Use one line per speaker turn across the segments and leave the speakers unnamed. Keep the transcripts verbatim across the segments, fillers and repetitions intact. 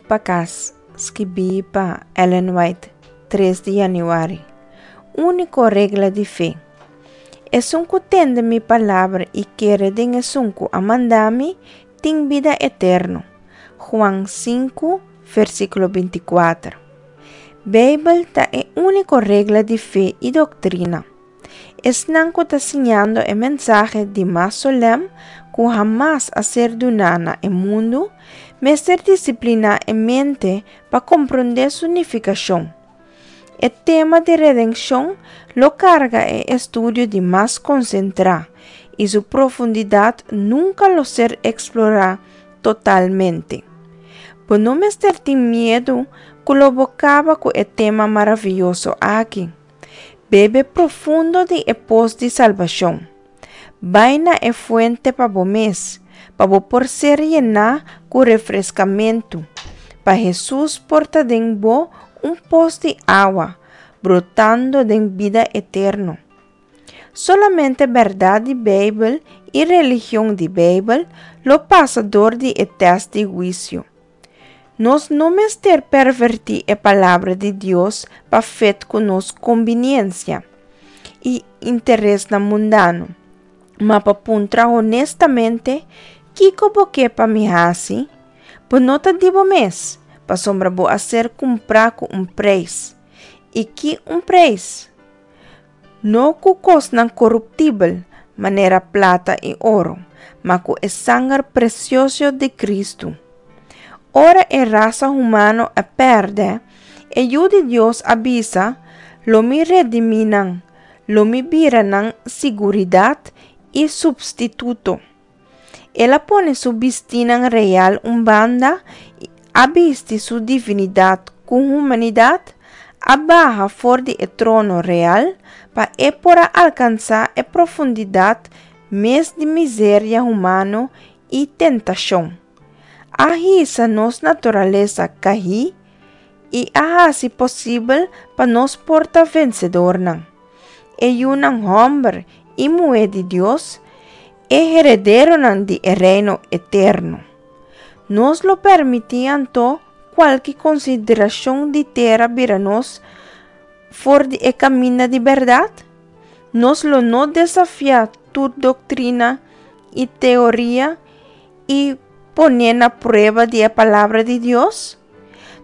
Pa Kas, skibí pa Ellen White, tres di yanüari. Úniko regla di fe. Esun ku tende mi palabra i kere den esun ku a manda mi, tin bida eterno. Juan sinku, versíkulo binti kuater. Beibel ta e úniko regla di fe i doktrina. Esnan ku ta siñando e mensahe di mas solèm ku hamas a ser duná na e mundu, mester disipliná e mente pa komprondé su nifikashon. E tema di redenshon lo karga e estudio di mas konsentrá i su profundidat nunka lo ser eksplorá totalmente. Bo no mester tin miedu ku lo bo kaba ku e tema maravioso aki. Bebe profundo di e pos di salbashon. Bai na e fuente pa bo mes, pa bo por ser yená ku refreskamentu, pa Hesus por ta den bo un pos di awa, brotando den bida eterno. Solamente bèrdat di Beibel i religion di Beibel lo pasa dor di e tèst di huisio. Nos no mester pervertí e Palabra di Dios pa fit ku nos kombiniensia i interesnan mundano, ma pa puntra honestamente, Kiko bo ke pa mi hasi? Bo no ta di bo mes, pasobra bo a ser kumprá ku un preis. I ki un preis! No ku kosnan koruptibel, manera plata i oro, ma ku e sanger presioso di Kristu. Ora e rasa humano a pèrdè, e Yu di Dios a bisa, Lo mi redimí nan, lo mi bira nan siguridat i supstituto. El a pone su bistínan real un banda i a bisti su divinidat ku humanidat, a baha for di e trono real pa e por a alkansá e profundidat mes di miseria humano i tentashon. A hisa nos naturalesa kaí i a hasi posibel pa nos por ta vensedornan, e yunan hòmber i muhé di Dios, e herederonan di e reino eterno. Nos lo permití anto kualke konsiderashon di tera bira nos for di e kaminda di bèrdat? Nos lo no desafiá tur doktrina i teoria i pon'é na prueba di e Palabra di Dios?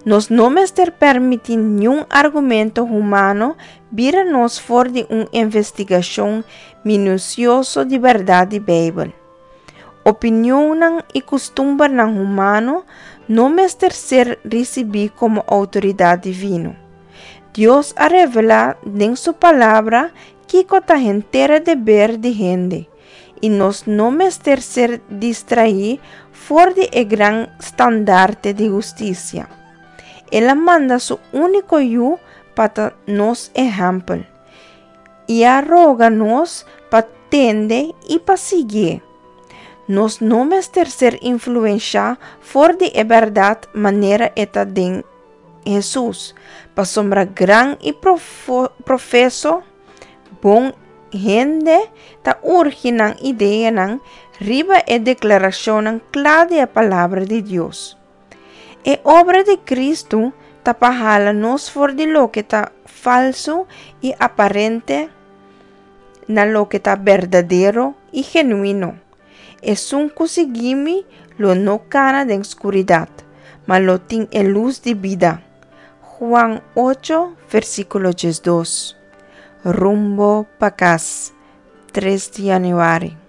Nos no mester permití niun argumento humano bira nos for di un investigashon minusioso di bèrdat di Beibel. Opinionnan i kustumbernan humano no mester ser risibí komo outoridat divino. Dios a revelá den su Palabra kiko ta henter e deber di hende, i nos no mester ser distraí for di e gran standarte di hustisia. El a manda su úniko Yu pa ta nos ehèmpel, i a roga nos pa tende i pa siguié. Nos no mester ser influenshá for di e bèrdat manera e ta den Hesus, pasobra gran i profeso bon hende ta urgi nan ideanan riba e deklarashonnan kla di e Palabra di Dios. E obra di Kristu ta pa hala nos for di loke ta falsu i aparente na loke ta berdadero i genuino. Esun ku sigui mi lo no kana den skuridat, ma lo tin e lus di bida. Juan ocho, versíkulo diesdos. Rumbo pa kas, tres di yanüari.